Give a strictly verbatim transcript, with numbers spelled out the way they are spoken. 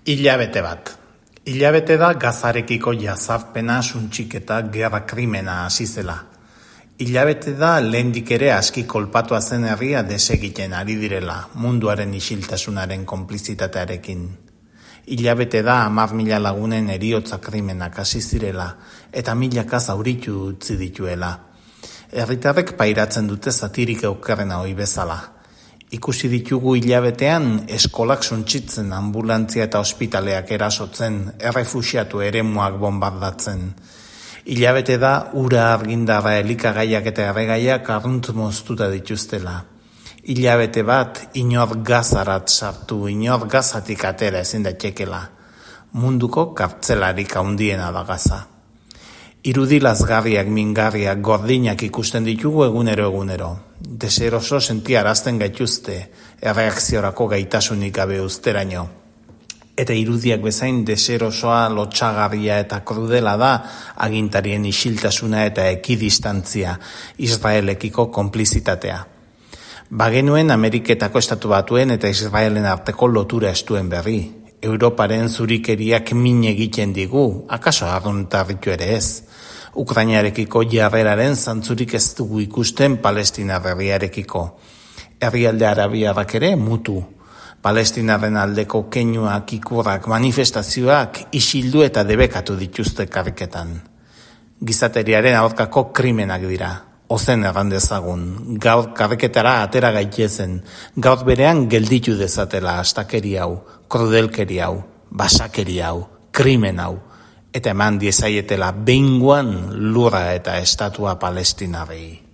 Hilabete bat. Hilabete da Gazarekiko jazarpena, suntxiketa, gerra krimena hasi zela. Hilabete da lehendik ere aski kolpatua zen herria desegiten ari direla, munduaren isiltasunaren konplizitatearekin. Hilabete da hamar mila lagunen heriotza krimenak hasi zirela, eta milaka zauritu utzi dituela. Herritarrek pairatzen dute satirik eukerrena ohi bezala. Ikusi ditugu hilabetean eskolak suntsitzen, ambulantzia eta ospitaleak erasotzen, errefuxiatu eremuak bombardatzen. Hilabete da ura, argindarra, elikagaiak eta erregaiak arrunt moztuta dituztela. Hilabete bat inor gazarat sartu, inor gazatik atera ezin daitekela. Munduko kartzelarik handiena da Gaza. Irudi lazgarriak, mingarriak, gordinak ikusten ditugu egunero egunero. Deseroso sentiarazten gaituzte, erreakziorako gaitasunik gabe uzteraino. Eta irudiak bezain deserosoa, lotsagarria eta krudela da agintarien isiltasuna eta ekidistantzia, Israelekiko konplizitatea. Bagenuen Ameriketako Estatu Batuen eta Israelen arteko lotura estuen berri. Europaren zurikeriak min egiten digu, akaso arruntarritu ere ez. Ukrainarekiko jarreraren zantzurik ez dugu ikusten Palestinar herriarekiko. Herrialde arabiarrak ere mutu. Palestinarren aldeko keinuak, ikurrak, manifestazioak isildu eta debekatu dituzte karriketan. Gizateriaren aurkako krimenak dira. Ozen erran dezagun, gaur karriketara atera gaitezen, gaur berean gelditu dezatela astakeri hau, krudelkeri hau, basakeri hau, krimen hau, eta eman diezaietela behingoan lurra eta estatua Palestinarrei.